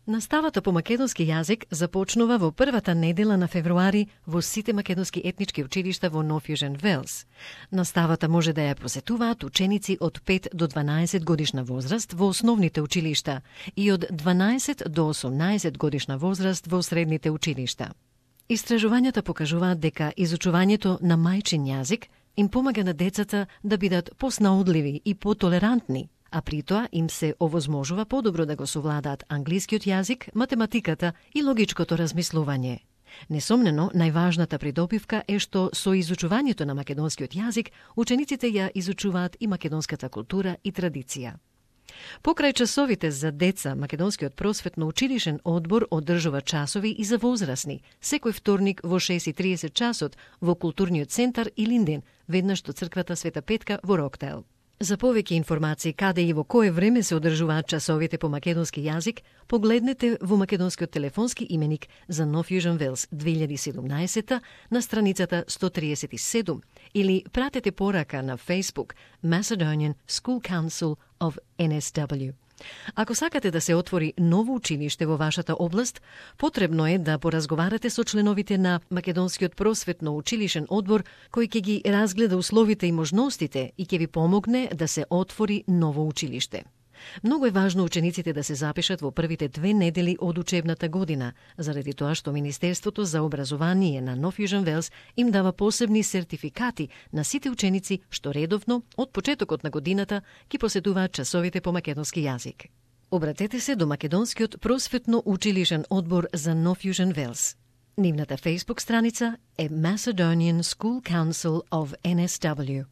Наставата по македонски јазик започнува во првата недела на февруари во сите македонски етнички училишта во Нов Јужен Велс. Наставата може да ја посетуваат ученици од 5 до 12 годишна возраст во основните училишта и од 12 до 18 годишна возраст во средните училишта. Истражувањата покажуваат дека изучувањето на мајчин јазик им помага на децата да бидат поснаудливи и потолерантни, а при тоа им се овозможува подобро да го совладаат англискиот јазик, математиката и логичкото размислување. Несомнено, најважната придобивка е што со изучувањето на македонскиот јазик, учениците ја изучуваат и македонската култура и традиција. Покрај часовите за деца, Македонскиот просветно-училишен одбор одржува часови и за возрасни, секој вторник во 6:30 часот во културниот центар Илинден, веднаш до црквата Света Петка во Роктайл. За повеќе информации каде и во кое време се одржуваат часовите по македонски јазик, погледнете во македонскиот телефонски именик за Нов Јужен Велс 2017 на страницата 137 или пратете порака на Facebook Macedonian School Council of NSW. Ако сакате да се отвори ново училиште во вашата област, потребно е да поразговарате со членовите на Македонскиот просветно-училишен одбор, кој ќе ги разгледа условите и можностите и ќе ви помогне да се отвори ново училиште. Многу е важно учениците да се запишат во првите 2 недели од учебната година, заради тоа што Министерството за образование на Нов Јужен Велс им дава посебни сертификати на сите ученици што редовно од почетокот на годината ги посетуваат часовите по македонски јазик. Обратете се до Македонскиот просветно-училишен одбор за Нов Јужен Велс. Нивната Facebook страница е Macedonian School Council of NSW.